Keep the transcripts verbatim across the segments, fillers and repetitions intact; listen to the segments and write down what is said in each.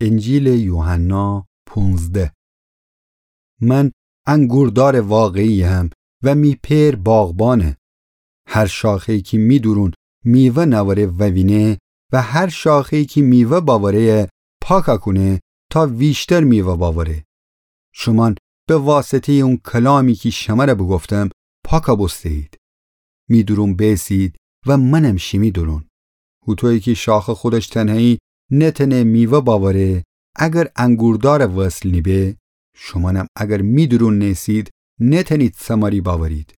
انجیلٚ یوحنا پونزده. من انگوردارٚ واقعییم و می پئر باغبانه. هر شاخه‌یی کی می دورون میوه نأوره ووینه و هر شاخه‌یی کی میوه بأوره‌یه پاکَ کونه تا ویشتر میوه بأوره. شومأن به واسطه‌یٚ اون کلامی کی شمره بوگفتم پاکَ بوسته‌یید. می دورون بیسید و منم شیمی دورون. هوطویی کی شاخه خودش تنهایی نتأنه میوه بأوره اگر انگوردارٚ وصل نیبه، شومأنم اگر می دورون نیسید نتأنید ثمری بأورید.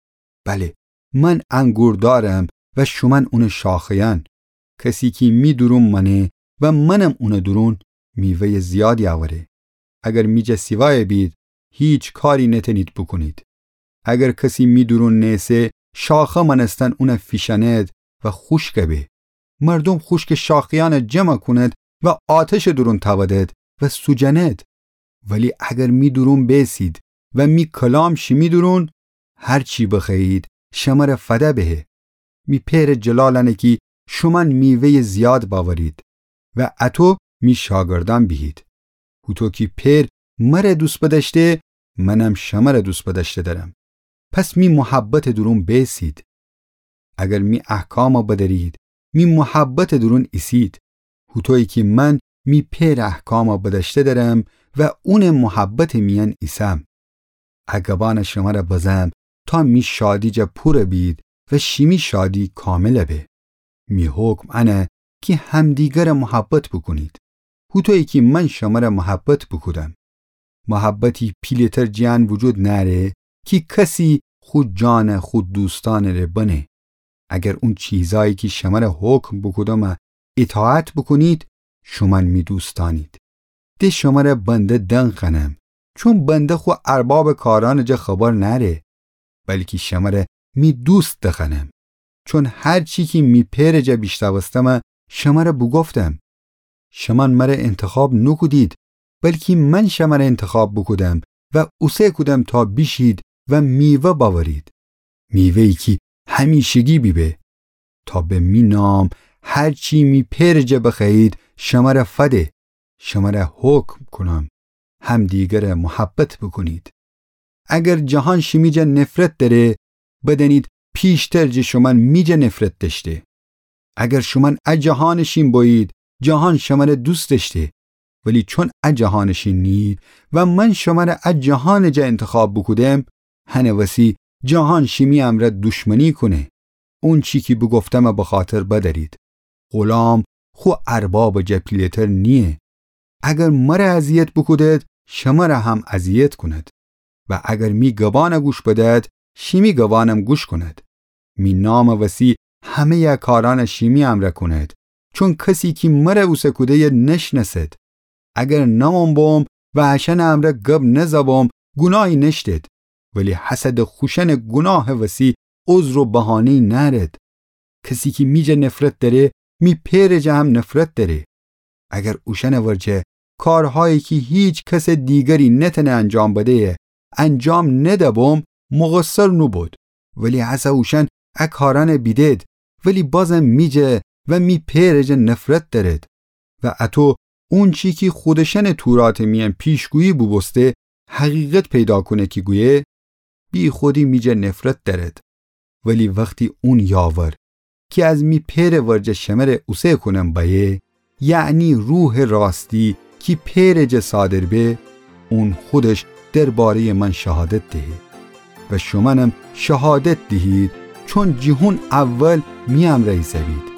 بله، من انگوردارم و شومأن اونٚ شاخه‌یأن. کسی کی می دورون مأنه و منم اونٚ دورون، میوه‌یٚ زیادی اوره. اگر می جا سیوایَ بید، هیچ کاری نتأنید بوکونید. اگر کسی می دورون نیسه، شاخه مأنستن اونَ فیشأند و خوشکَ به. مردوم خوشکٚ شاخه‌یأنَ جمعَ کونید و آتشٚ دورون تأودید و سوجأنید. ولی اگر می دورون بیسید و می کلام شیمی دورون، هر چی بخوأیید شمره فده بهه. می پئرٚ جلال انه کی شومأن میوه‌یٚ زیاد بأورید و اطو می شاگردأن بیهید. هوطو کی پئر مره دوست بدأشته، منم شمره دوست بدأشته دأرم. پس می محبتٚ دورون بیسید. اگر می احکامَ بدأرید، می محبتٚ دورون ایسید. هوطویی کی من می پئرٚ احکامَ بدأشته دأرم و اونٚ محبتٚ میأن ایسم. ا گبأنَ شمره بزم تا می شادی جا پورَ بید و شیمی شادی کاملَ به. می حکم انه کی همدیگرَ محبت بوکونید، هوطویی کی من شمره محبت بوکودم. محبتی پیله‌تر جٚه ان وجود نأره کی کسی خو جانَ خو دوستأنٚ ره بنه. اگر اون چیزأیی کی شمره حکم بوکودمَ ایطاعت بوکونید، شومأن می دوستأنید. د شمره بنده دنخوأنم، چون بنده خو اربابٚ کارأنٚ جا خبر نأره، بلکی شمره می دوست دخوأنم. چون هر چی کی می پئرٚ جا بیشنوستمَ شمره بوگفتم. شومأن مره انتخاب نوکودید، بلکی من شمره انتخاب بوکودم و اوسه کودم تا بیشید و میوه بأورید. میوه‌یی کی همیشگی بیبه. تا به می نام هر چی می پئرٚ جا بخوأیید شمره فده. شمره حکم کونم همدیگرَ محبت بوکونید. اگر جهان شیمی جا نفرت دأره، بدأنید پیشتر جٚه شومأن می جا نفرت دأشته. اگر شومأن ا جهانٚ شین بویید، جهان شمره دوست دأشته. ولی چون ا جهانٚ شین نیید و من شمره ا جهانٚ جا انتخاب بوکودم، هنٚ وسی جهان شیمی امرأ دوشمنی کونه. اونچی کی بوگفتمَ بخاطر بدأرید. غلام خو اربابٚ جا پیله‌تر نییه. اگر مره اذیت بوکودید، شمره هم اذیت کونید. و اگر می گبأنَ گوش بدید، شیمی گبأنم گوش کونید. می نامٚ وسی همه‌یٚ ا کارأنَ شیمی امرأ کونید. چون کسی کی مره اوسه کوده‌یه نشنأسید. اگر نمون بوم و اشأنٚ امرأ گب نزه بوم، گوناهی نأشتید. ولی حسدٚ خوشأنٚ گوناهٚ وسی عذر و بهانه‌یی نأرید. کسی کی می جا نفرت دأره، می پئرٚ جا هم نفرت دأره. اگر اوشأنٚ ورجه کارهایی کی هیچ کسٚ دیگری نتأنه انجام بده‌یه، انجام نده‌بوم، مقصر نوبود. ولی هسه اوشأن ا کارأنَ بیدید، ولی بازم می جا و می پئرٚ جا نفرت دأرید. و اطو اونچی کی خودشأنٚ توراتٚ میأن پیشگویی بوبوسته، حقیقت پیدا کونه کی گویه، بیخودی می جا نفرت دأرید. ولی وختی اون یاور کی از می پئرٚ ورجه شمره اوسه کونم بأیه، یعنی روحٚ راستی کی پئرٚ جا صادر به، اون خودش درباره‌یٚ من شهادت دهه. و شومأنم شهادت دیهید، چون جٚه هون اول می امرأ ایسه‌بید.